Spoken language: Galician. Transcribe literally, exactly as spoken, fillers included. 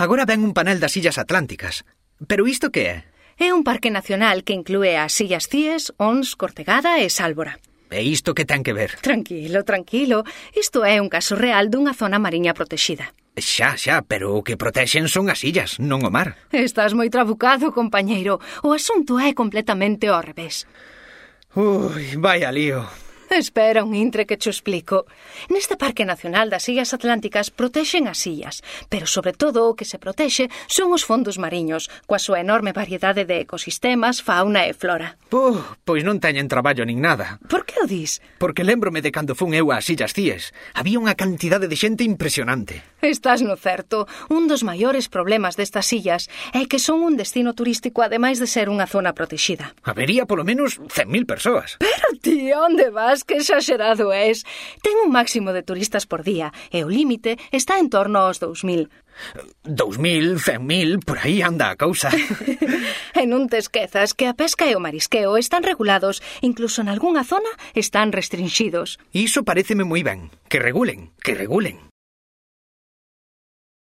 Agora ven un panel das Illas Atlánticas. Pero isto que é? É un parque nacional que inclúe as Illas Cíes, Ons, Cortegada e Sálvora. E isto que ten que ver? Tranquilo, tranquilo. Isto é un caso real dunha zona mariña protexida. Xa, xa, pero o que protexen son as illas, non o mar. Estás moi trabucado, compañeiro. O asunto é completamente ao revés. Ui, vaya lío. Espera un intre que cho explico. Neste Parque Nacional das Illas Atlánticas protexen as illas, pero sobre todo o que se protexe son os fondos mariños, coa súa enorme variedade de ecosistemas, fauna e flora. Puh, pois non teñen traballo nin nada. Por que o dis? Porque lémbrome de cando fun eu ás Illas Cíes. Había unha cantidade de xente impresionante. Estás no certo. Un dos maiores problemas destas illas é que son un destino turístico ademais de ser unha zona protexida. Habería polo menos cen mil persoas. Pero ti, onde vas? Que exagerado és. Ten un máximo de turistas por día e o límite está en torno aos dous mil. Dous mil, cen mil, por aí anda a cousa. E non te esquezas que a pesca e o marisqueo están regulados, incluso en algunha zona están restringidos. Iso paréceme moi ben. Que regulen, que regulen.